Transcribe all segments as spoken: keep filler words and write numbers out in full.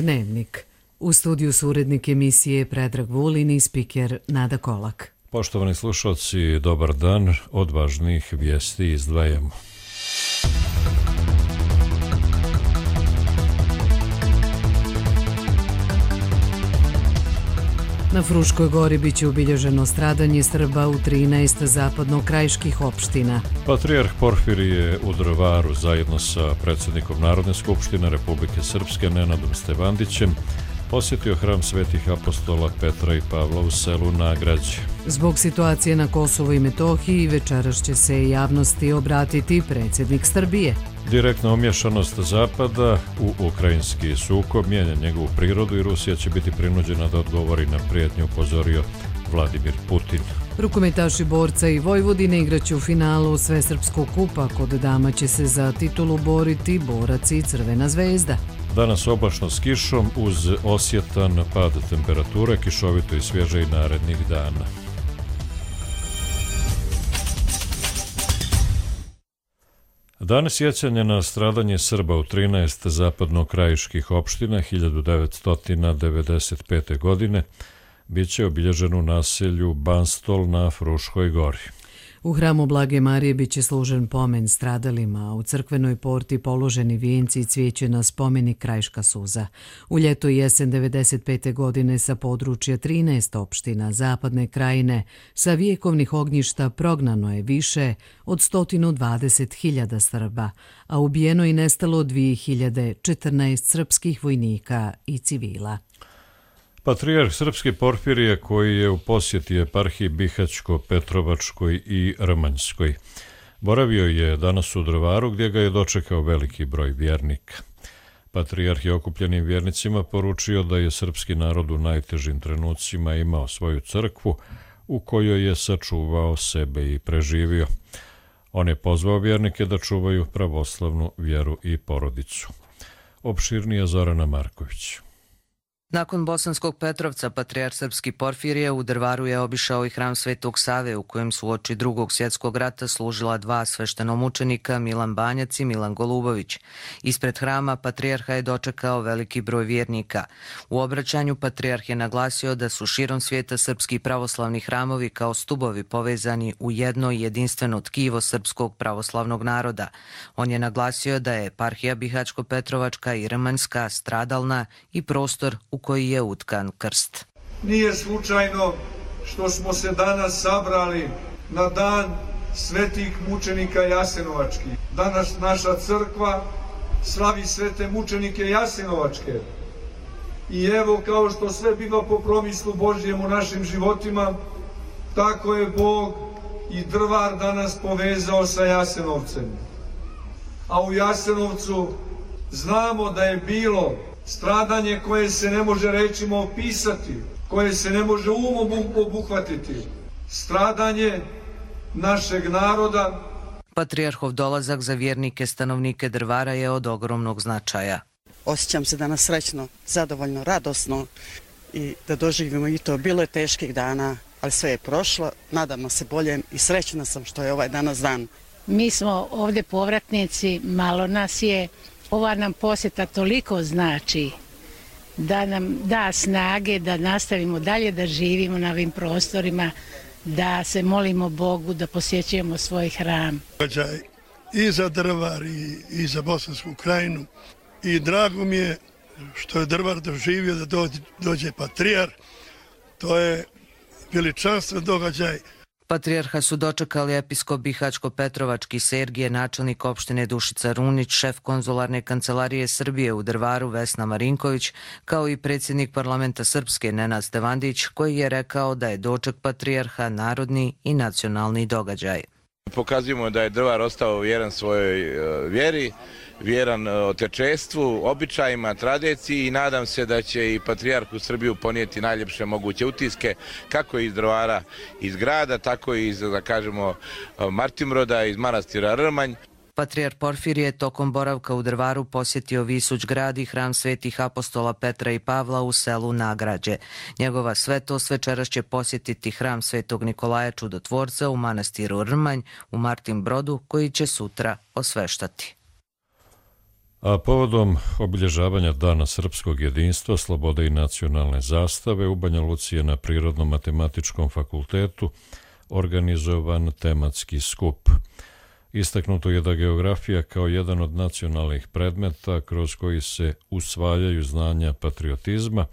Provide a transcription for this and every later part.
Dnevnik. U studiju su urednik emisije Predrag Vulin i spiker Nada Kolak. Poštovani slušalci, dobar dan. Od važnih vijesti izdvajamo. Na Fruškoj gori biće obilježeno stradanje Srba u trinaest zapadno-krajiških opština. Patrijarh Porfirije u Drvaru zajedno sa predsjednikom Narodne skupštine Republike Srpske Nenadom Stevandićem posjetio hram svetih apostola Petra i Pavla u selu Nagrađe. Zbog situacije na Kosovu i Metohiji večeras će se javnosti obratiti predsjednik Srbije. Direktna umješanost Zapada u ukrajinski sukob mijenja njegovu prirodu i Rusija će biti prinuđena da odgovori na prijetnju, upozorio Vladimir Putin. Rukometaši Borca i Vojvodine igraće u finalu Svesrpskog kupa. Kod dama će se za titulu boriti Borac i Crvena zvezda. Danas oblačno s kišom uz osjetan pad temperature, kišovito i svježe i narednih dana. Dan sjećanja na stradanje Srba u trinaest zapadno-krajiških opština hiljadu devetsto devedeset pete. godine bit će obilježen u naselju Banstol na Fruškoj gori. U hramu Blage Marije bit će služen pomen stradalima, a u crkvenoj porti položeni vijenci i cvijeće na spomenik Krajiška suza. U ljeto i jesen devedeset pete. godine sa područja trinaest opština Zapadne krajine sa vijekovnih ognjišta prognano je više od sto dvadeset hiljada Srba, a ubijeno i nestalo dvije hiljade četrnaest srpskih vojnika i civila. Patrijarh Srpski Porfirije, koji je u posjeti eparhiji Bihaćko-Petrovačkoj i Rmanjskoj, boravio je danas u Drvaru gdje ga je dočekao veliki broj vjernika. Patrijarh je okupljenim vjernicima poručio da je srpski narod u najtežim trenucima imao svoju crkvu u kojoj je sačuvao sebe i preživio. On je pozvao vjernike da čuvaju pravoslavnu vjeru i porodicu. Opširnija Zorana Marković. Nakon Bosanskog Petrovca, patrijarh Srpski Porfirije u Drvaru je obišao i hram Svetog Save, u kojem su uoči drugog svjetskog rata služila dva sveštenomučenika, Milan Banjac i Milan Golubović. Ispred hrama patrijarha je dočekao veliki broj vjernika. U obraćanju patrijarh je naglasio da su širom svijeta srpski pravoslavni hramovi kao stubovi povezani u jedno jedinstveno tkivo srpskog pravoslavnog naroda. On je naglasio da je eparhija Bihaćko-Petrovačka i Rmanjska stradalna i prostor u koji je utkan krst. Nije slučajno što smo se danas sabrali na dan svetih mučenika Jasenovačkih. Danas naša crkva slavi svete mučenike Jasenovačke. I evo, kao što sve biva po promislu Božjem u našim životima, tako je Bog i Drvar danas povezao sa Jasenovcem. A u Jasenovcu znamo da je bilo stradanje koje se ne može rečima opisati, koje se ne može umom obuhvatiti. Stradanje našeg naroda. Patrijarhov dolazak za vjernike stanovnike Drvara je od ogromnog značaja. Osjećam se danas srećno, zadovoljno, radosno i da doživimo i to. Bilo je teških dana, ali sve je prošlo. Nadamo se boljem i srećna sam što je ovaj danas dan. Mi smo ovdje povratnici, malo nas je. Ova nam posjeta toliko znači da nam da snage da nastavimo dalje da živimo na ovim prostorima, da se molimo Bogu, da posjećujemo svoj hram. I za Drvar i, i za Bosansku krajinu i drago mi je što je Drvar doživio da dođe, dođe patrijarh. To je veličanstven događaj. Patrijarha su dočekali episkop Bihaćko-Petrovački Sergije, načelnik opštine Dušica Runić, šef konzularne kancelarije Srbije u Drvaru Vesna Marinković, kao i predsjednik parlamenta Srpske Nenad Stevandić, koji je rekao da je doček patrijarha narodni i nacionalni događaj. Pokazujemo da je Drvar ostao vjeran svojoj vjeri, vjeran otečestvu, običajima, tradiciji i nadam se da će i patrijarh u Srbiju ponijeti najljepše moguće utiske, kako iz Drvara, iz grada, tako i iz, da kažemo, Martimroda, iz manastira Rmanj. Patrijarh Porfirije tokom boravka u Drvaru posjetio Visuć grad i hram svetih apostola Petra i Pavla u selu Nagrađe. Njegova svetost večeras će posjetiti hram Svetog Nikolaja Čudotvorca u manastiru Rmanj u Martinbrodu, koji će sutra osveštati. A povodom obilježavanja Dana srpskog jedinstva, slobode i nacionalne zastave u Banja Luci je na Prirodno-matematičkom fakultetu organizovan tematski skup. Istaknuto je da geografija kao jedan od nacionalnih predmeta kroz koji se usvajaju znanja patriotizma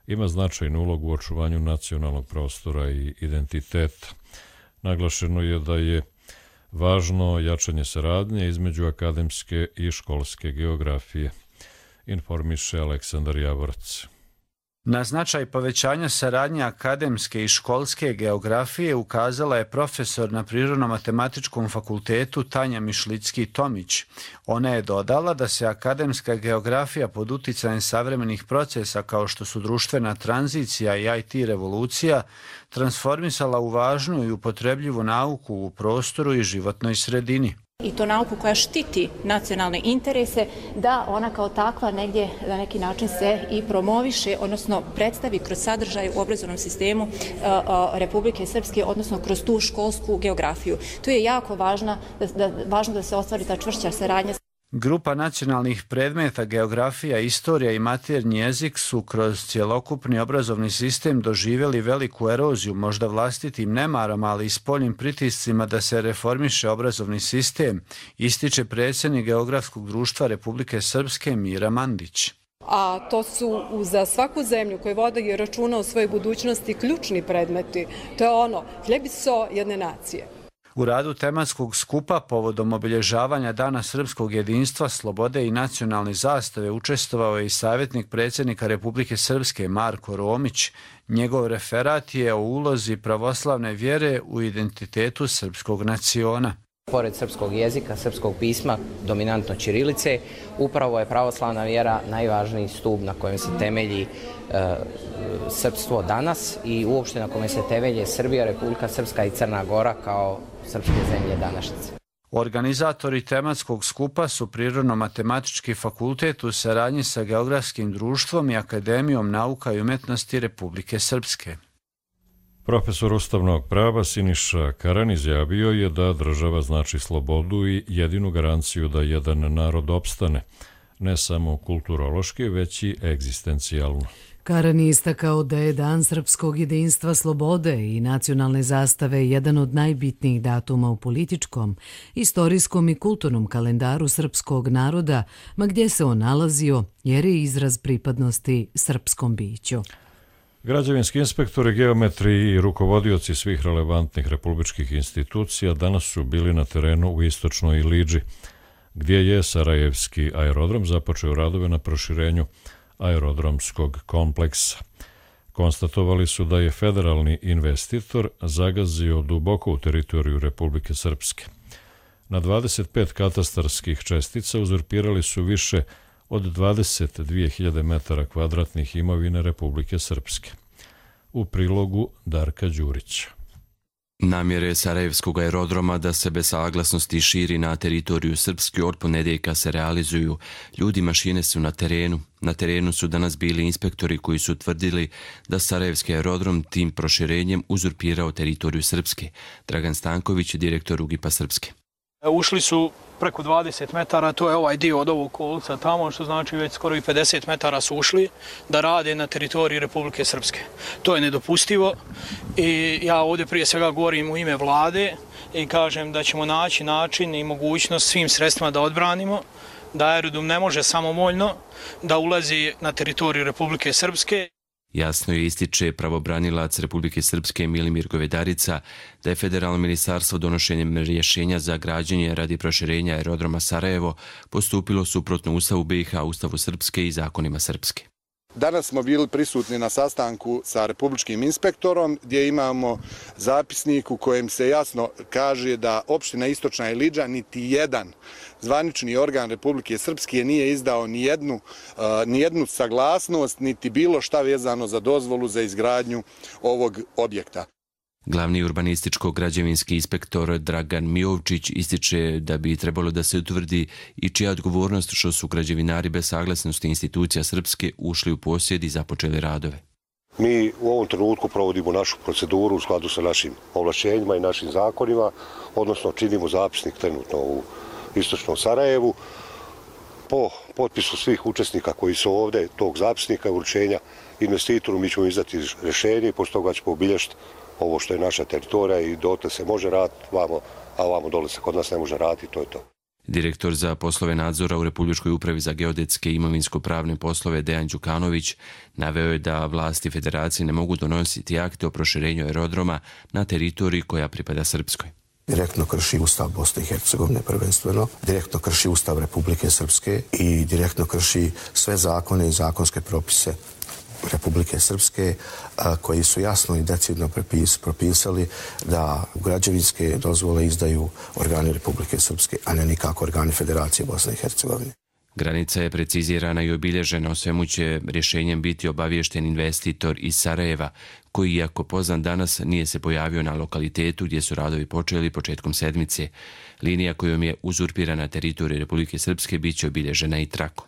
ima značajnu ulogu u očuvanju nacionalnog prostora i identiteta. Naglašeno je da je važno jačanje saradnje između akademske i školske geografije, informiše Aleksandar Javorac. Na značaj povećanja saradnje akademske i školske geografije ukazala je profesor na Prirodno-matematičkom fakultetu Tanja Mišlicki-Tomić. Ona je dodala da se akademska geografija pod uticajem savremenih procesa kao što su društvena tranzicija i I T revolucija transformisala u važnu i upotrebljivu nauku u prostoru i životnoj sredini. I to nauku koja štiti nacionalne interese, da ona kao takva negdje na neki način se i promoviše, odnosno predstavi kroz sadržaj u obrazovnom sistemu Republike Srpske, odnosno kroz tu školsku geografiju. Tu je jako važno da, da, važno da se ostvari ta čvršća saradnja. Grupa nacionalnih predmeta geografija, istorija i maternji jezik su kroz cjelokupni obrazovni sistem doživjeli veliku eroziju, možda vlastitim nemarom, ali i spoljnim pritiscima da se reformiše obrazovni sistem, ističe predsjednik Geografskog društva Republike Srpske Mira Mandić. A to su za svaku zemlju koja vodi računa o svojoj budućnosti ključni predmeti. To je ono, hljeb i so jedne nacije. U radu tematskog skupa povodom obilježavanja Dana srpskog jedinstva, slobode i nacionalne zastave učestvovao je i savjetnik predsjednika Republike Srpske Marko Romić. Njegov referat je o ulozi pravoslavne vjere u identitetu srpskog naciona. Pored srpskog jezika, srpskog pisma, dominantno ćirilice, upravo je pravoslavna vjera najvažniji stup na kojem se temelji e, srpstvo danas i uopšte na kojem se temelje Srbija, Republika Srpska i Crna Gora kao srpske zemlje današnjice. Organizatori tematskog skupa su Prirodno-matematički fakultet u saradnji sa Geografskim društvom i Akademijom nauka i umjetnosti Republike Srpske. Profesor ustavnog prava Siniša Karan izjavio je da država znači slobodu i jedinu garanciju da jedan narod opstane, ne samo kulturološki, već i egzistencijalno. Karan je istakao da je Dan srpskog jedinstva, slobode i nacionalne zastave jedan od najbitnijih datuma u političkom, istorijskom i kulturnom kalendaru srpskog naroda, ma gdje se on nalazio, jer je izraz pripadnosti srpskom biću. Građevinski inspektori, geometri i rukovodioci svih relevantnih republičkih institucija danas su bili na terenu u istočnoj Iliđi, gdje je Sarajevski aerodrom započeo radove na proširenju aerodromskog kompleksa. Konstatovali su da je federalni investitor zagazio duboko u teritoriju Republike Srpske. Na dvadeset pet katastarskih čestica uzurpirali su više od dvadeset dvije hiljade metara kvadratnih imovine Republike Srpske. U prilogu Darka Đurića. Namjere Sarajevskog aerodroma da se bez saglasnosti širi na teritoriju Srpske od ponedjeljka se realizuju. Ljudi i mašine su na terenu. Na terenu su danas bili inspektori koji su tvrdili da Sarajevski aerodrom tim proširenjem uzurpirao teritoriju Srpske. Dragan Stanković, direktor U G I P-a Srpske. Ušli su preko dvadeset metara, to je ovaj dio od ovog kolca tamo, što znači već skoro i pedeset metara su ušli da rade na teritoriji Republike Srpske. To je nedopustivo i ja ovdje prije svega govorim u ime vlade i kažem da ćemo naći način i mogućnost svim sredstvima da odbranimo, da aerodrom ne može samovoljno da ulazi na teritoriju Republike Srpske. Jasno je ističe pravobranilac Republike Srpske Milimir Govedarica da je federalno ministarstvo donošenjem rješenja za građenje radi proširenja aerodroma Sarajevo postupilo suprotno Ustavu B i H, Ustavu Srpske i zakonima Srpske. Danas smo bili prisutni na sastanku sa republičkim inspektorom gdje imamo zapisnik u kojem se jasno kaže da opština Istočna Iliđa niti jedan zvanični organ Republike Srpske nije izdao ni jednu, uh, ni jednu saglasnost niti bilo šta vezano za dozvolu za izgradnju ovog objekta. Glavni urbanističko-građevinski inspektor Dragan Mijovčić ističe da bi trebalo da se utvrdi i čija odgovornost što su građevinari bez saglasnosti institucija Srpske ušli u posjed i započeli radove. Mi u ovom trenutku provodimo našu proceduru u skladu sa našim ovlašćenjima i našim zakonima, odnosno činimo zapisnik trenutno u Istočnom Sarajevu. po potpisu svih učesnika koji su ovdje, tog zapisnika uručenja investitoru, mi ćemo izdati rješenje i pošto toga ćemo obilježiti ovo što je naša teritorija i dotle se može raditi vamo, a vamo dole se kod nas ne može raditi, to je to. Direktor za poslove nadzora u Republičkoj upravi za geodetske i imovinsko-pravne poslove Dejan Đukanović naveo je da vlasti federacije ne mogu donositi akte o proširenju aerodroma na teritoriji koja pripada Srpskoj. Direktno krši Ustav Bosne i Hercegovine prvenstveno, direktno krši Ustav Republike Srpske i direktno krši sve zakone i zakonske propise Republike Srpske koji su jasno i decidno propisali da građevinske dozvole izdaju organi Republike Srpske, a ne nikako organi Federacije Bosne i Hercegovine. Granica je precizirana i obilježena, o svemu će rješenjem biti obaviješten investitor iz Sarajeva, koji, iako poznan danas, nije se pojavio na lokalitetu gdje su radovi počeli početkom sedmice. Linija kojom je uzurpirana teritorija Republike Srpske bit će obilježena i trakom.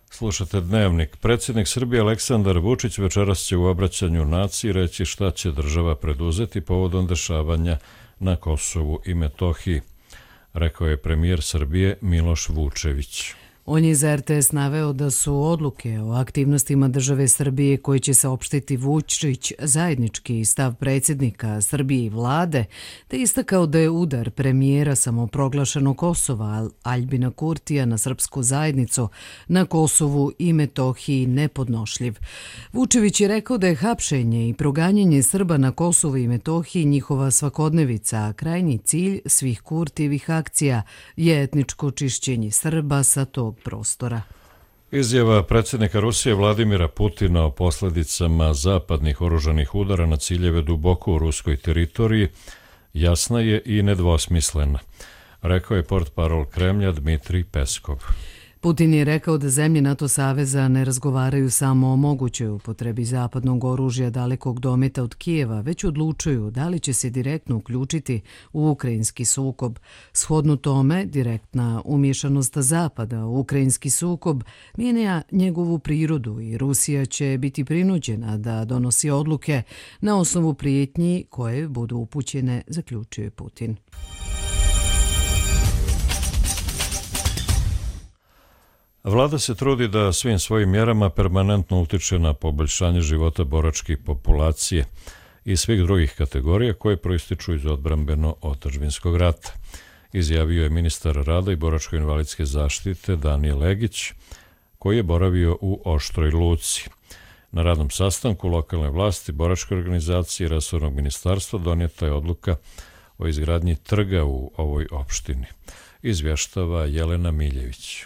Slušate Dnevnik. Predsjednik Srbije Aleksandar Vučić večeras će u obraćanju naciji reći šta će država preduzeti povodom dešavanja na Kosovu i Metohiji, rekao je premijer Srbije Miloš Vučević. On je za er te es naveo da su odluke o aktivnostima države Srbije koje će saopštiti Vučić zajednički stav predsjednika Srbije i vlade, te istakao da je udar premijera samoproglašenog Kosova Aljbina Kurtija na srpsku zajednicu na Kosovu i Metohiji nepodnošljiv. Vučević je rekao da je hapšenje i proganjanje Srba na Kosovu i Metohiji njihova svakodnevica, a krajnji cilj svih Kurtijevih akcija je etničko čišćenje Srba sa tog prostora. Izjava predsjednika Rusije Vladimira Putina o posljedicama zapadnih oružanih udara na ciljeve duboko u ruskoj teritoriji jasna je i nedvosmislena, rekao je portparol Kremlja Dmitrij Peskov. Putin je rekao da zemlje NATO saveza ne razgovaraju samo o mogućoj upotrebi zapadnog oružja dalekog dometa od Kijeva, već odlučuju da li će se direktno uključiti u ukrajinski sukob. Shodno tome, direktna umješanost Zapada u ukrajinski sukob mijenja njegovu prirodu i Rusija će biti prinuđena da donosi odluke na osnovu prijetnji koje budu upućene, zaključuje Putin. Vlada se trudi da svim svojim mjerama permanentno utiče na poboljšanje života boračke populacije i svih drugih kategorija koje proističu iz odbrambeno-otadžbinskog rata, izjavio je ministar rada i boračko-invalidske zaštite Danijel Egić, koji je boravio u Oštroj Luci. Na radnom sastanku lokalne vlasti, boračke organizacije i resornog ministarstva donijeta je odluka o izgradnji trga u ovoj opštini, izvještava Jelena Miljević.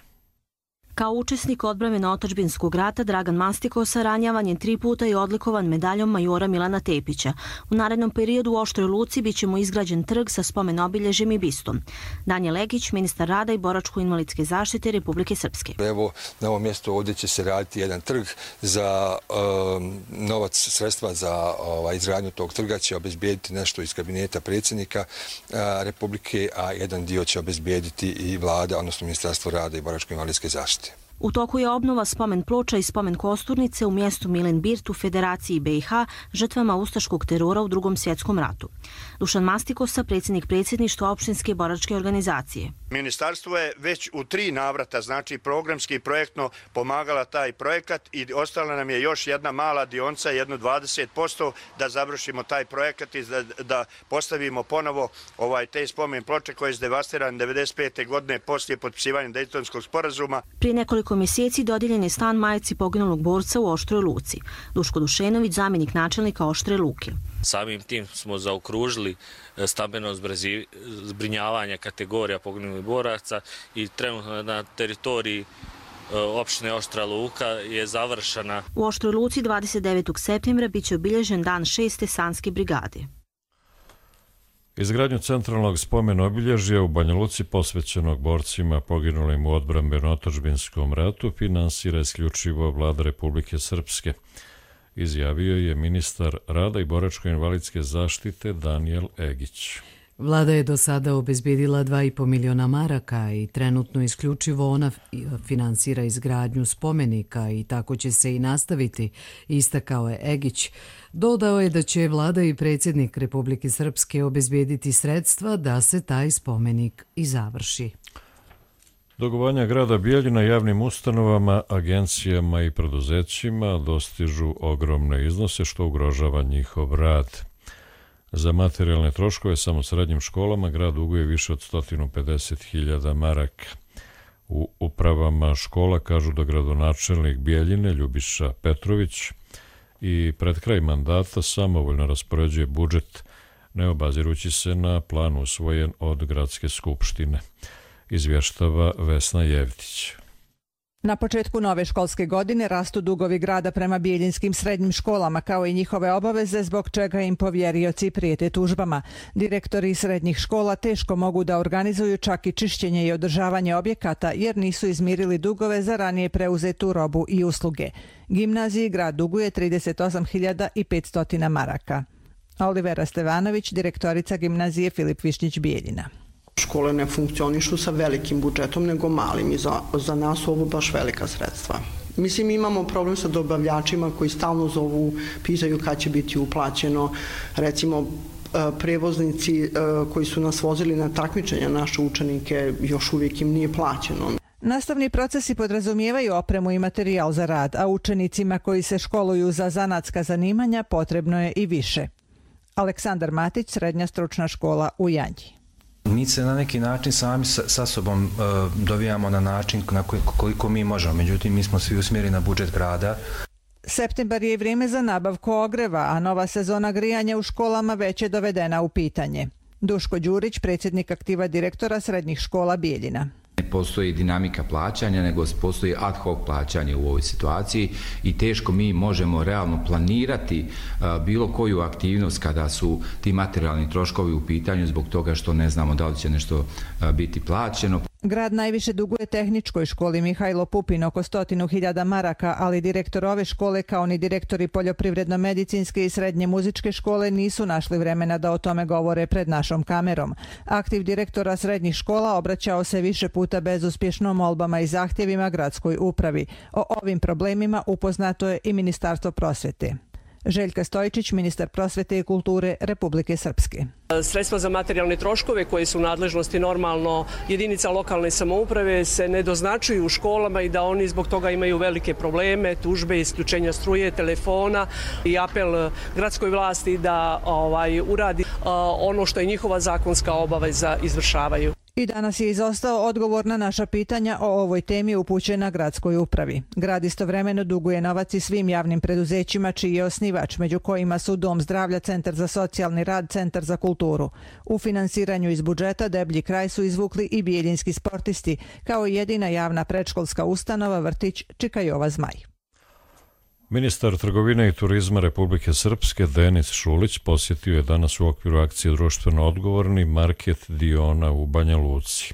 Kao učesnik odbrambeno-otadžbinskog rata, Dragan Mastikosa ranjavan je tri puta i odlikovan medaljom majora Milana Tepića. U narednom periodu u Oštroj Luci bit će mu izgrađen trg sa spomen obilježjem i bistom. Danijel Egić, ministar rada i boračko-invalidske zaštite Republike Srpske. Evo, na ovom mjestu ovdje će se raditi jedan trg za um, novac, sredstva za ovaj, izgradnju tog trga će obezbijediti nešto iz kabineta predsjednika uh, Republike, a jedan dio će obezbijediti i vlada, odnosno ministarstvo rada i boračko-invalidske zaštite. U toku je obnova spomen ploča i spomen kosturnice u mjestu Milen Birt u Federaciji be i ha žrtvama ustaškog terora u Drugom svjetskom ratu. Dušan Mastikosa, predsjednik predsjedništva opštinske boračke organizacije. Ministarstvo je već u tri navrata, znači programski i projektno, pomagala taj projekat i ostala nam je još jedna mala dionca, jedno dvadeset posto da završimo taj projekat i da, da postavimo ponovo ovaj, te spomen ploče koje je zdevastiran devedeset pete godine poslije potpisivanja Dejtonskog sporazuma. Prije nekoliko mjeseci dodijeljen je stan majci poginulog borca u Oštroj Luci. Duško Dušenović, zamjenik načelnika Oštre Luke. Samim tim smo zaokružili stambeno zbrinjavanje kategorija poginulih boraca i trenutno na teritoriji opštine Oštra Luka je završena. U Oštroj Luci dvadeset devetog septembra bit će obilježen dan šeste sanske brigade. Izgradnju centralnog spomen obilježja u Banja Luci posvećenog borcima poginulim u odbrambeno-otadžbinskom ratu finansira isključivo vlada Republike Srpske, izjavio je ministar rada i boračko-invalidske zaštite Danijel Egić. Vlada je do sada obezbedila dva i po miliona maraka i trenutno isključivo ona finansira izgradnju spomenika i tako će se i nastaviti, istakao je Egić. Dodao je da će vlada i predsjednik Republike Srpske obezbediti sredstva da se taj spomenik i završi. Dugovanja grada Bijeljina javnim ustanovama, agencijama i preduzećima dostižu ogromne iznose što ugrožava njihov rad. Za materijalne troškove samo srednjim školama grad duguje više od sto pedeset hiljada maraka. U upravama škola kažu da gradonačelnik Bijeljine Ljubiša Petrović i pred kraj mandata samovoljno raspoređuje budžet, ne obazirući se na plan usvojen od gradske skupštine, izvještava Vesna Jevtić. Na početku nove školske godine rastu dugovi grada prema bijeljinskim srednjim školama kao i njihove obaveze, zbog čega im povjerioci prijete tužbama. Direktori srednjih škola teško mogu da organizuju čak i čišćenje i održavanje objekata jer nisu izmirili dugove za ranije preuzetu robu i usluge. Gimnaziji grad duguje trideset osam hiljada petsto maraka. Olivera Stevanović, direktorica gimnazije Filip Višnjić Bijeljina. Škole ne funkcionišu sa velikim budžetom, nego malim i za, za nas ovo baš velika sredstva. Mislim, imamo problem sa dobavljačima koji stalno zovu, pitaju kad će biti uplaćeno. Recimo, prevoznici koji su nas vozili na takmičenja naše učenike, još uvijek im nije plaćeno. Nastavni procesi podrazumijevaju opremu i materijal za rad, a učenicima koji se školuju za zanatska zanimanja potrebno je i više. Aleksandar Matić, srednja stručna škola u Janji. Mi se na neki način sami sa, sa sobom uh, dovijamo na način na koji, koliko mi možemo, međutim mi smo svi usmjereni na budžet grada. Septembar je vrijeme za nabavku ogreva, a nova sezona grijanja u školama već je dovedena u pitanje. Duško Đurić, predsjednik aktiva direktora srednjih škola Bijeljina. Ne postoji dinamika plaćanja, nego postoji ad hoc plaćanje u ovoj situaciji i teško mi možemo realno planirati uh, bilo koju aktivnost kada su ti materijalni troškovi u pitanju zbog toga što ne znamo da li će nešto uh, biti plaćeno. Grad najviše duguje tehničkoj školi Mihajlo Pupin oko stotinu hiljada maraka, ali direktor ove škole kao ni direktori poljoprivredno-medicinske i srednje muzičke škole nisu našli vremena da o tome govore pred našom kamerom. Aktiv direktora srednjih škola obraćao se više puta bezuspješno molbama i zahtjevima gradskoj upravi. O ovim problemima upoznato je i Ministarstvo prosvjete. Željka Stojčić, ministar prosvjete i kulture Republike Srpske. Sredstva za materijalne troškove koje su u nadležnosti normalno jedinica lokalne samouprave se ne doznačuju u školama i da oni zbog toga imaju velike probleme, tužbe, isključenja struje, telefona i apel gradskoj vlasti da ovaj, uradi ono što je njihova zakonska obaveza izvršavaju. I danas je izostao odgovor na naša pitanja o ovoj temi upućena gradskoj upravi. Grad istovremeno duguje novac i svim javnim preduzećima čiji je osnivač, među kojima su Dom zdravlja, Centar za socijalni rad, Centar za kulturu. U finansiranju iz budžeta deblji kraj su izvukli i bijeljinski sportisti, kao i jedina javna predškolska ustanova vrtić Čikajova Zmaj. Ministar trgovine i turizma Republike Srpske Denis Šulić posjetio je danas u okviru akcije društveno odgovorni market Diona u Banja Luci.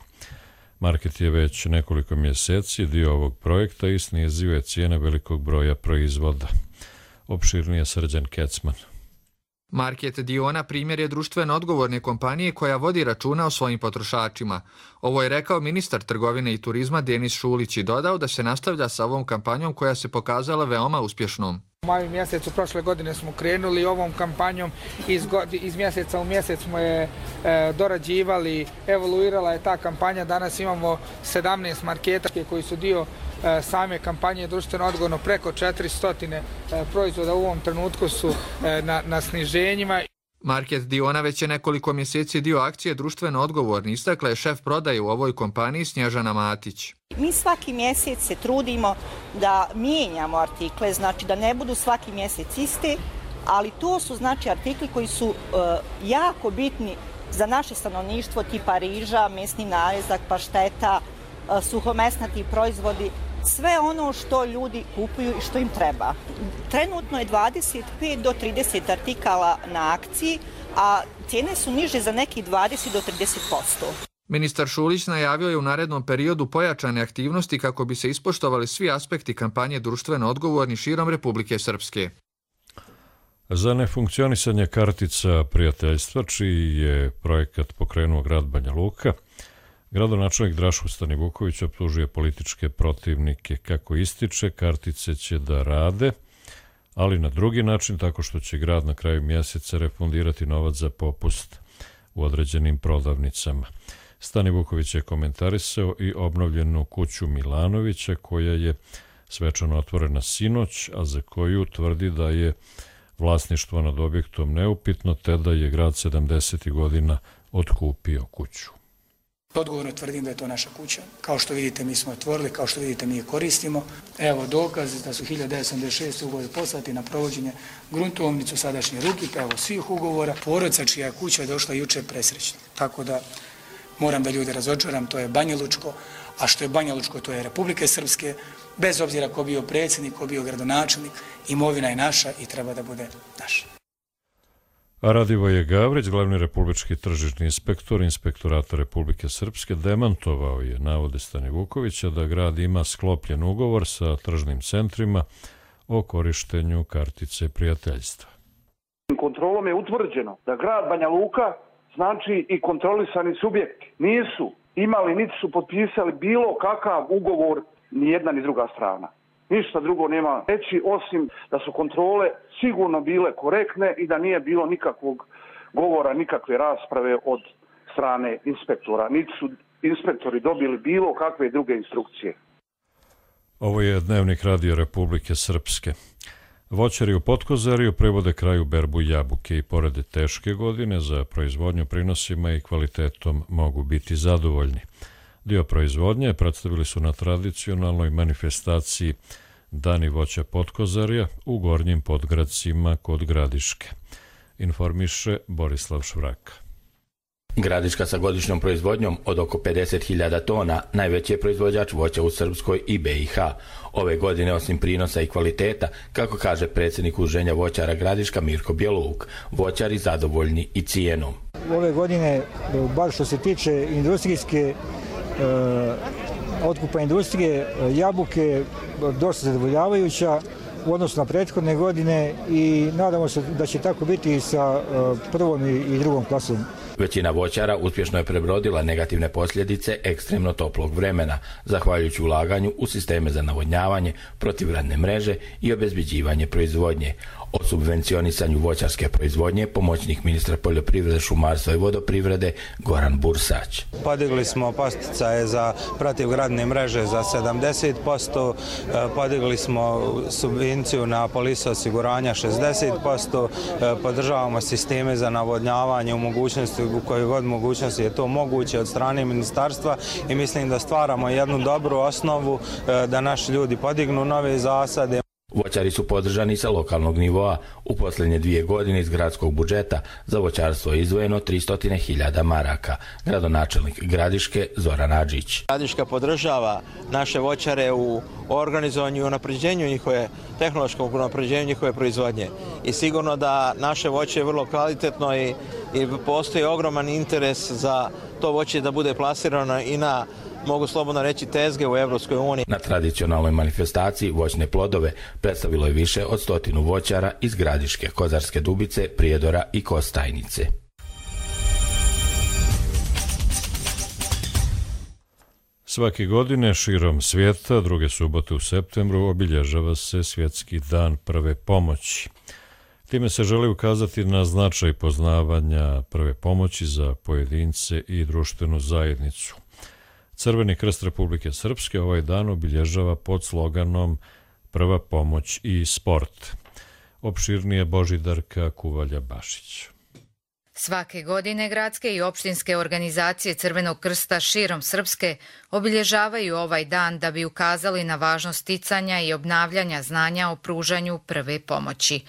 Market je već nekoliko mjeseci dio ovog projekta i snizio je cijene velikog broja proizvoda. Opširnije Srđan Kecman. Market Diona primjer je društveno odgovorne kompanije koja vodi računa o svojim potrošačima. Ovo je rekao ministar trgovine i turizma Denis Šulić i dodao da se nastavlja sa ovom kampanjom koja se pokazala veoma uspješnom. U maju mjesecu prošle godine smo krenuli ovom kampanjom, iz, iz mjeseca u mjesec smo je e, dorađivali, evoluirala je ta kampanja, danas imamo sedamnaest marketa koji su dio e, same kampanje društveno odgovorno, preko četiristo e, proizvoda u ovom trenutku su e, na, na sniženjima. Market Diona već je nekoliko mjeseci dio akcije društveno odgovorni, istakla je šef prodaje u ovoj kompaniji Snježana Matić. Mi svaki mjesec se trudimo da mijenjamo artikle, znači da ne budu svaki mjesec isti, ali to su znači artikli koji su uh, jako bitni za naše stanovništvo, tipa riža, mesni narezak, pašteta, uh, suhomesnati proizvodi, sve ono što ljudi kupuju i što im treba. Trenutno je dvadeset pet do trideset artikala na akciji, a cijene su niže za neki dvadeset do trideset posto. Ministar Šulić najavio je u narednom periodu pojačane aktivnosti kako bi se ispoštovali svi aspekti kampanje društveno odgovorni širom Republike Srpske. Za nefunkcionisanje kartica prijateljstva, čiji je projekat pokrenuo grad Banja Luka, gradonačelnik Draško Stanivuković optužuje političke protivnike. Kako ističe, kartice će da rade, ali na drugi način, tako što će grad na kraju mjeseca refundirati novac za popust u određenim prodavnicama. Stani Vuković je komentarisao i obnovljenu kuću Milanovića koja je svečano otvorena sinoć, a za koju tvrdi da je vlasništvo nad objektom neupitno, te da je grad sedamdesetih godina otkupio kuću. Odgovorno tvrdim da je to naša kuća. Kao što vidite, mi smo otvorili, kao što vidite, mi je koristimo. Evo dokaz da su hiljadu devetsto sedamdeset šeste. ugovori poslati na provođenje gruntovnicu sadašnje Rukipa, evo svih ugovora. Porodica čija je kuća došla jučer presrećna. Tako da moram da ljude razočaram, to je Banja Lučko, a što je Banja Lučko, to je Republike Srpske. Bez obzira ko bio predsjednik, ko bio gradonačelnik, imovina je naša i treba da bude naša. A Radivoje Gavrić, glavni republički tržišni inspektor Inspektorata Republike Srpske, demantovao je navode Stani Vukovića da grad ima sklopljen ugovor sa tržnim centrima o korištenju kartice prijateljstva. Kontrolom je utvrđeno da grad Banja Luka, znači i kontrolisani subjekti, nisu imali niti su potpisali bilo kakav ugovor ni jedna ni druga strana. Ništa drugo nema reći osim da su kontrole sigurno bile korektne i da nije bilo nikakvog govora, nikakve rasprave od strane inspektora. Niti su inspektori dobili bilo kakve druge instrukcije. Ovo je Dnevnik Radio Republike Srpske. Voćari u Potkozariju prevode kraju berbu jabuke i pored teške godine za proizvodnju prinosima i kvalitetom mogu biti zadovoljni. Dio proizvodnje predstavili su na tradicionalnoj manifestaciji Dani voća Potkozarja u Gornjim Podgradcima kod Gradiške. Informiše Borislav Švraka. Gradiška sa godišnjom proizvodnjom od oko pedeset hiljada tona najveći je proizvođač voća u Srpskoj i B i H. Ove godine, osim prinosa i kvaliteta, kako kaže predsjednik Udruženja voćara Gradiška Mirko Bjeluk, voćari zadovoljni i cijenom. Ove godine, bar što se tiče industrijske otkupa industrije, jabuke dosta zadovoljavajuća u odnosu na prethodne godine i nadamo se da će tako biti i sa prvom i drugom klasom. Većina voćara uspješno je prebrodila negativne posljedice ekstremno toplog vremena, zahvaljujući ulaganju u sisteme za navodnjavanje, protivgradne mreže i obezbeđivanje proizvodnje. O subvencionisanju voćarske proizvodnje pomoćnik ministra poljoprivrede, šumarstva i vodoprivrede Goran Bursać. Podigli smo podsticaje za protivgradne mreže za sedamdeset posto, podigli smo subvenciju na polise osiguranja šezdeset posto, podržavamo sisteme za navodnjavanje u mogućnosti, u kojoj god mogućnosti je to moguće od strane ministarstva i mislim da stvaramo jednu dobru osnovu da naši ljudi podignu nove zasade. Voćari su podržani sa lokalnog nivoa. U posljednje dvije godine iz gradskog budžeta za voćarstvo je izdvojeno tristo hiljada maraka. Gradonačelnik Gradiške Zoran Adžić. Gradiška podržava naše voćare u organizovanju i unapređenju njihove, tehnološkog unapređenju njihove proizvodnje. I sigurno da naše voće je vrlo kvalitetno i, i postoji ogroman interes za to voće da bude plasirano i na, mogu slobodno reći, tezge u Evropskoj uniji. Na tradicionalnoj manifestaciji voćne plodove predstavilo je više od stotinu voćara iz Gradiške, Kozarske Dubice, Prijedora i Kostajnice. Svake godine širom svijeta, druge subote u septembru, obilježava se Svjetski dan prve pomoći. Time se želi ukazati na značaj poznavanja prve pomoći za pojedince i društvenu zajednicu. Crveni krst Republike Srpske ovaj dan obilježava pod sloganom Prva pomoć i sport. Opširnije Božidarka Kuvalja-Bašić. Svake godine gradske i opštinske organizacije Crvenog krsta širom Srpske obilježavaju ovaj dan da bi ukazali na važnost sticanja i obnavljanja znanja o pružanju prve pomoći.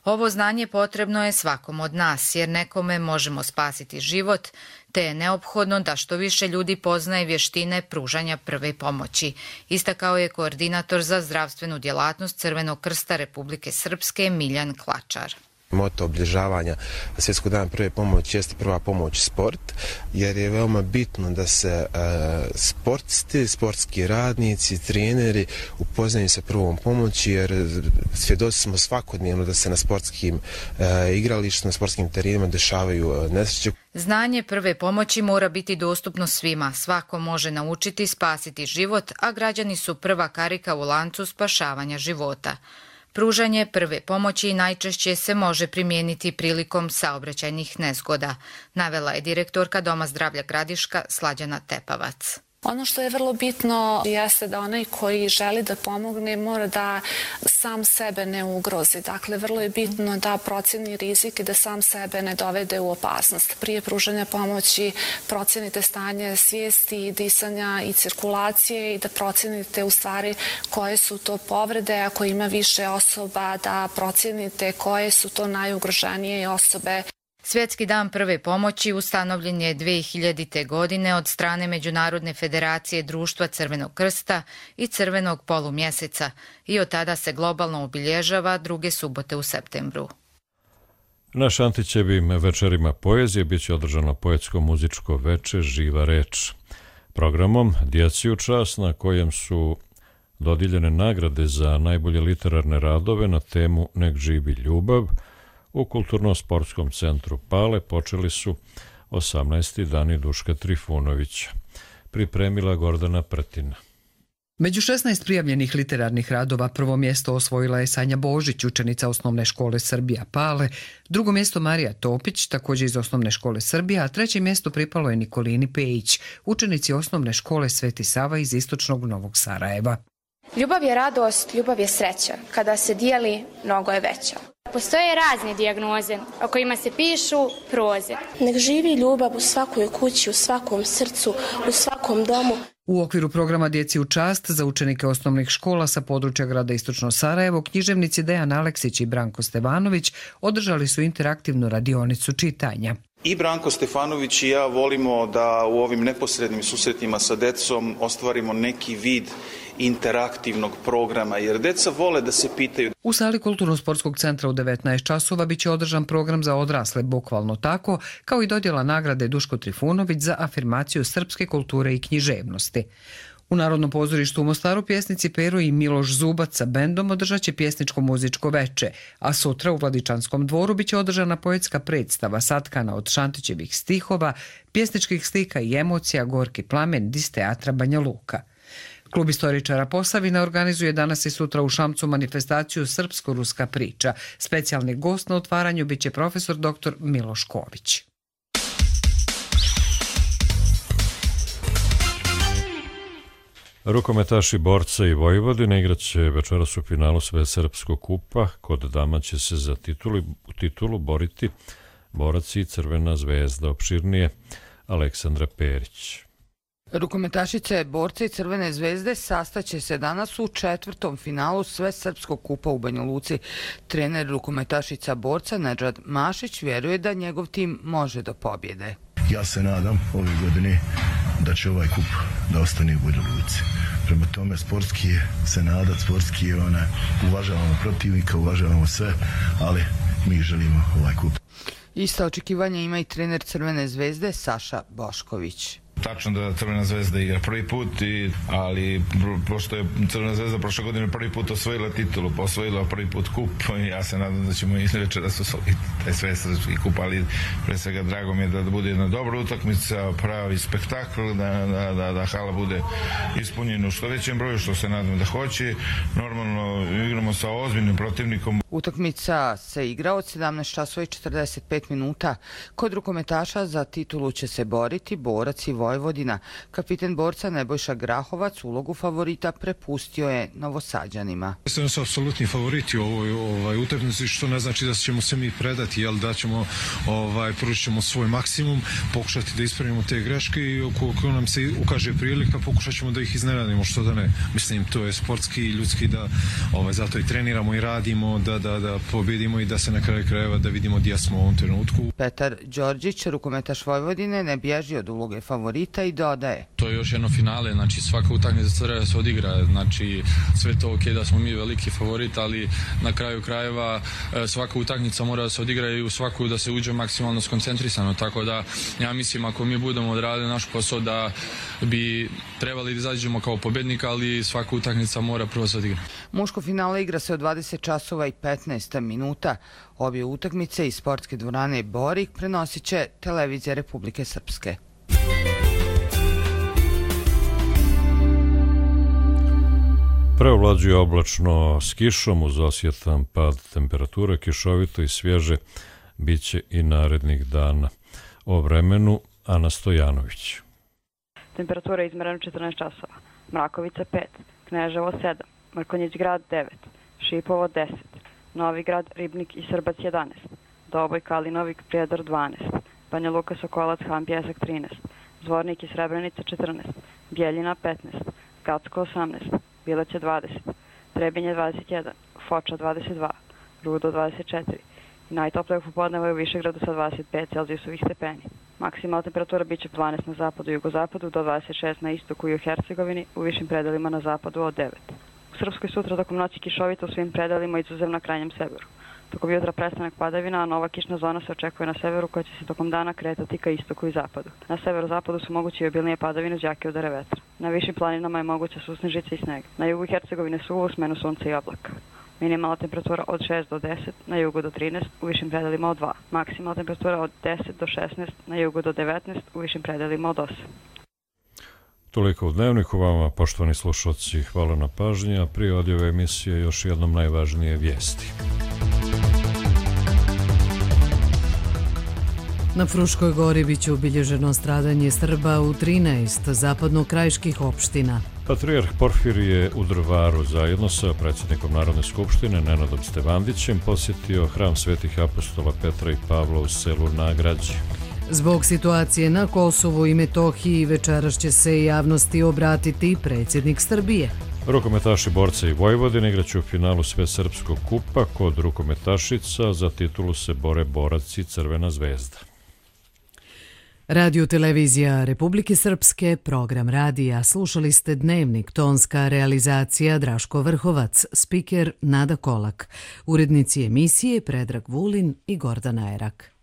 Ovo znanje potrebno je svakom od nas, jer nekome možemo spasiti život, te je neophodno da što više ljudi poznaje vještine pružanja prve pomoći, istakao je koordinator za zdravstvenu djelatnost Crvenog krsta Republike Srpske Miljan Klačar. Moto obilježavanja Svjetskog dana prve pomoći jeste prva pomoć sport, jer je veoma bitno da se uh, sportisti, sportski radnici, treneri upoznaju sa prvom pomoći, jer svjedoci smo svakodnevno da se na sportskim uh, igralištima, na sportskim terenima dešavaju uh, nesreće. Znanje prve pomoći mora biti dostupno svima. Svako može naučiti spasiti život, a građani su prva karika u lancu spašavanja života. Pružanje prve pomoći najčešće se može primijeniti prilikom saobraćajnih nezgoda, navela je direktorka Doma zdravlja Gradiška Slađana Tepavac. Ono što je vrlo bitno jeste da onaj koji želi da pomogne mora da sam sebe ne ugrozi. Dakle, vrlo je bitno da procjeni rizik i da sam sebe ne dovede u opasnost. Prije pružanja pomoći procjenite stanje svijesti, disanja i cirkulacije i da procjenite u stvari koje su to povrede. Ako ima više osoba, da procjenite koje su to najugroženije osobe. Svjetski dan prve pomoći ustanovljen je dvije hiljadite. godine od strane Međunarodne federacije društva Crvenog krsta i Crvenog polumjeseca i od tada se globalno obilježava druge subote u septembru. Na Šantićevim večerima poezije bit će održano poetsko-muzičko veče Živa reč. Programom Djeci u čast, na kojem su dodijeljene nagrade za najbolje literarne radove na temu Nek živi ljubav, u Kulturno-sportskom centru Pale počeli su osamnaesti dani Duška Trifunovića. Pripremila Gordana Prtina. Među šesnaest prijavljenih literarnih radova prvo mjesto osvojila je Sanja Božić, učenica Osnovne škole Srbija Pale, drugo mjesto Marija Topić, također iz Osnovne škole Srbija, a treće mjesto pripalo je Nikolini Pejić, učenici Osnovne škole Sveti Sava iz istočnog Novog Sarajeva. Ljubav je radost, ljubav je sreća. Kada se dijeli, mnogo je veća. Postoje razne dijagnoze o kojima se pišu proze. Nek živi ljubav u svakoj kući, u svakom srcu, u svakom domu. U okviru programa Djeci u čast za učenike osnovnih škola sa područja grada Istočno Sarajevo, književnici Dejan Aleksić i Branko Stevanović održali su interaktivnu radionicu čitanja. I Branko Stefanović i ja volimo da u ovim neposrednim susretima sa decom ostvarimo neki vid interaktivnog programa, jer deca vole da se pitaju. U sali Kulturno-sportskog centra u devetnaest časova biće održan program za odrasle, bukvalno tako, kao i dodjela nagrade Duško Trifunović za afirmaciju srpske kulture i književnosti. U Narodnom pozorištu u Mostaru pjesnici Pero i Miloš Zubac sa bendom održat će pjesničko-muzičko veče, a sutra u Vladičanskom dvoru biće održana poetska predstava satkana od Šantićevih stihova, pjesničkih slika i emocija Gorki plamen iz teatra Banja Luka. Klub istoričara Posavina organizuje danas i sutra u Šamcu manifestaciju Srpsko-ruska priča. Specijalni gost na otvaranju biće profesor doktor Miloš Ković. Rukometaši Borca i Vojvodine igraće večeras u finalu Svesrpskog kupa. Kod dama će se za titulu, titulu boriti Borac i Crvena zvezda. Opširnije Aleksandra Perić. Rukometašice Borca i Crvene zvezde sastaće se danas u četvrtom finalu Svesrpskog kupa u Banja Luci. Trener rukometašica Borca Nedžad Mašić vjeruje da njegov tim može do pobjede. Ja se nadam ove godine da će ovaj kup da ostane u Banja Luci. Prema tome sportski je se nadat, sportski je ona, uvažavamo protivnika, uvažavamo sve, ali mi želimo ovaj kup. Ista očekivanja ima i trener Crvene zvezde Saša Bošković. Tačno da Crvena zvezda igra prvi put, i, ali pošto je Crvena zvezda prošle godine prvi put osvojila titulu, pa osvojila prvi put kup, ja se nadam da ćemo i večeras osvojiti taj svesrpski kup, ali pre svega drago mi je da bude jedna dobra utakmica, pravi spektakl, da, da, da, da hala bude ispunjena u što većem broju, što se nadam da hoće. Normalno igramo sa ozbiljnim protivnikom. Utakmica se igra od sedamnaest časova i četrdeset pet minuta. Kod rukometaša za titulu će se boriti Borac i Vojvodina. Kapiten Borca Nebojša Grahovac ulogu favorita prepustio je Novosađanima. Sve su apsolutni favoriti u ovoj ovaj, utakmici, što ne znači da ćemo se mi predati, jel da ćemo ovaj, pružit ćemo svoj maksimum, pokušati da ispravimo te greške i ukoliko nam se ukaže prilika, pokušat ćemo da ih iznenadimo, što da ne. Mislim, to je sportski i ljudski, da ovaj, zato i treniramo i radimo, da, da, da pobjedimo i da se na kraju krajeva da vidimo gdje smo u ovom trenutku. Petar Đorđić, rukometaš Vojvodine, ne bježi od uloge favorita i dodaje. To je još jedno finale, znači svaka utakmica treba da se odigra, znači sve to ok da smo mi veliki favorit, ali na kraju krajeva svaka utakmica mora da se odigra i u svaku da se uđe maksimalno skoncentrisano, tako da ja mislim ako mi budemo odradili naš posao da bi trebali da izađemo kao pobjednik, ali svaka utakmica mora prvo se odigra. Muško finale igra se od dvadeset časova i petnaest minuta. Obje utakmice iz sportske dvorane Borik prenosit će Televizija Republike Srpske. Hrvatska. Preovlađuje oblačno s kišom uz osjetan pad temperature, kišovito i svježe biće i narednih dana. O vremenu Ana Stojanović. Temperatura je izmerena četrnaest časova. Mrakovica pet, Kneževo sedam, Mrkonjić grad devet, Šipovo deset, Novi grad, Ribnik i Srbac jedanaest, Doboj, Kalinovik, Prijedor dvanaest, Banja Luka, Sokolac, Han, Pjesak trinaest, Zvornik i Srebrenica četrnaest, Bjeljina petnaest, Gacko osamnaest, Bileće dvadeset, Trebinje dvadeset jedan, Foča dvadeset dva, Rudo dvadeset četiri i najtoplije u popodnevu je u Višegradu sa dvadeset pet celzijusovih stepeni. Maksimalna temperatura biće dvanaest na zapadu i jugozapadu, do dvadeset šest na istoku i u Hercegovini, u višim predelima na zapadu od devet. U Srpskoj sutra tokom noći kišovito u svim predelima, izuzev na krajnjem severu. Tokom jutra prestanak padavina, a nova kišna zona se očekuje na severu koja će se tokom dana kretati ka istoku i zapadu. Na severozapadu su moguće i obilnije padavine uz jake udare vetra. Na višim planinama je moguća susnežica i sneg. Na jugu Hercegovine suvo u smenu sunca i oblaka. Minimalna temperatura od šest do deset, na jugu do trinaest, u višim predelima od dva. Maksimalna temperatura od deset do šesnaest, na jugu do devetnaest, u višim predelima od osam. Toliko u Dnevniku vama, poštovani slušalci, hvala na pažnji, a prije odjave emisije još jednom najvažnije vijesti. Na Fruškoj gori biće obilježeno stradanje Srba u trinaest zapadno-krajiških opština. Patrijarh Porfirije u Drvaru zajedno sa predsjednikom Narodne skupštine Nenadom Stevandićem posjetio hram svetih apostola Petra i Pavla u selu Nagrađe. Zbog situacije na Kosovu i Metohiji večeras će se javnosti obratiti predsjednik Srbije. Rukometaši Borca i Vojvodine igraće u finalu Svesrpskog kupa. Kod rukometašica za titulu se bore Borac i Crvena zvezda. Radio televizija Republike Srpske, program radija. Slušali ste Dnevnik, tonska realizacija Draško Vrhovac, spiker Nada Kolak, urednici emisije Predrag Vulin i Gordana Erak.